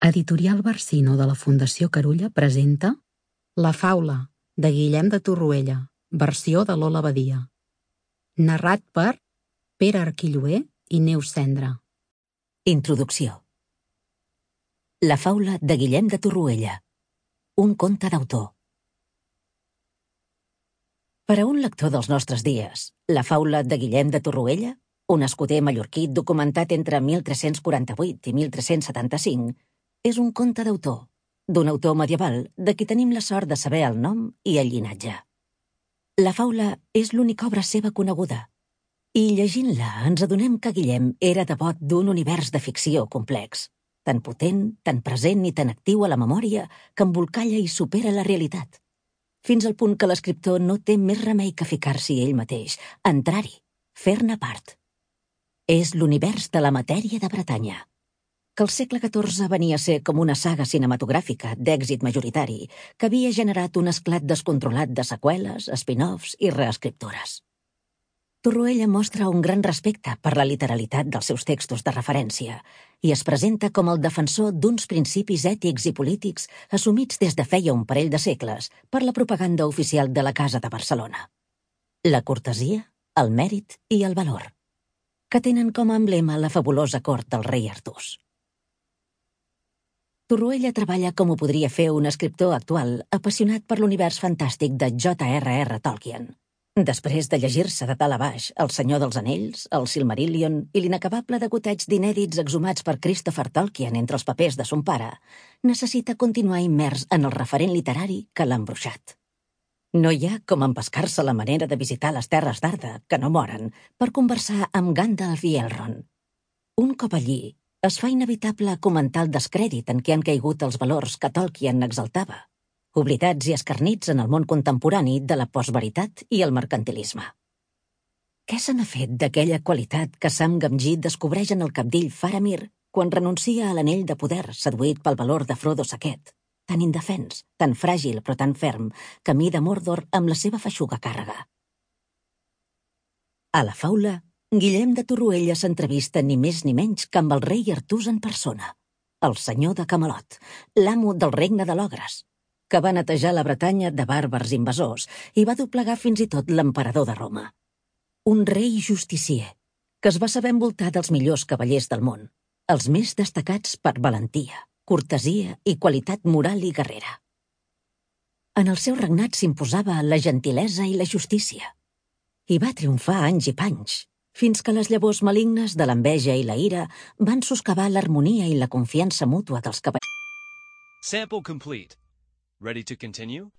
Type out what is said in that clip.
Editorial Barsino de la Fundació Carulla presenta La faula, de Guillem de Torroella, versió de Lola Badia. Narrat per Pere Arquilloé i Neus Cendra. Introducció. La faula de Guillem de Torroella, un conte d'autor. Per a un lector dels nostres dies, la faula de Guillem de Torroella, un escuder mallorquí documentat entre 1348 i 1375, és un conte d'autor, d'un autor medieval de qui tenim la sort de saber el nom i el llinatge. La faula és l'única obra seva coneguda, i llegint-la ens adonem que Guillem era devot d'un univers de ficció complex, tan potent, tan present i tan actiu a la memòria que embolcalla i supera la realitat, fins al punt que l'escriptor no té més remei que ficar-s'hi ell mateix, entrar-hi, fer-ne part. És l'univers de la matèria de Bretanya, que al segle XIV venia a ser com una saga cinematogràfica d'èxit majoritari que havia generat un esclat descontrolat de seqüeles, spin-offs i reescriptures. Torroella mostra un gran respecte per la literalitat dels seus textos de referència i es presenta com el defensor d'uns principis ètics i polítics assumits des de feia un parell de segles per la propaganda oficial de la Casa de Barcelona. La cortesia, el mèrit i el valor, que tenen com a emblema la fabulosa cort del rei Artús. Torroella treballa com ho podria fer un escriptor actual apassionat per l'univers fantàstic de J.R.R. Tolkien. Després de llegir-se de dalt a baix El Senyor dels Anells, el Silmarillion i l'inacabable degoteig d'inèdits exhumats per Christopher Tolkien entre els papers de son pare, necessita continuar immers en el referent literari que l'ha embruixat. No hi ha com empescar-se la manera de visitar les terres d'Arda, que no moren, per conversar amb Gandalf i Elrond. Un cop allí, es fa inevitable comentar el descrèdit en què han caigut els valors que Tolkien exaltava, oblidats i escarnits en el món contemporani de la postveritat i el mercantilisme. Què se n'ha fet d'aquella qualitat que Sam Gamgee descobreix en el cabdill Faramir quan renuncia a l'anell de poder seduït pel valor de Frodo Saquet, tan indefens, tan fràgil però tan ferm, camí de Mordor amb la seva feixuga càrrega? A la faula, Guillem de Torroella s'entrevista ni més ni menys que amb el rei Artús en persona, el senyor de Camelot, l'amo del regne de l'Ogres, que va netejar la Bretanya de bàrbars invasors i va doblegar fins i tot l'emperador de Roma. Un rei justicier, que es va saber envoltar dels millors cavallers del món, els més destacats per valentia, cortesia i qualitat moral i guerrera. En el seu regnat s'imposava la gentilesa i la justícia, i va triomfar anys i panys, fins que les llavors malignes de l'enveja i la ira van soscavar l'harmonia i la confiança mútua dels cavallers. Sample complete. Ready to continue?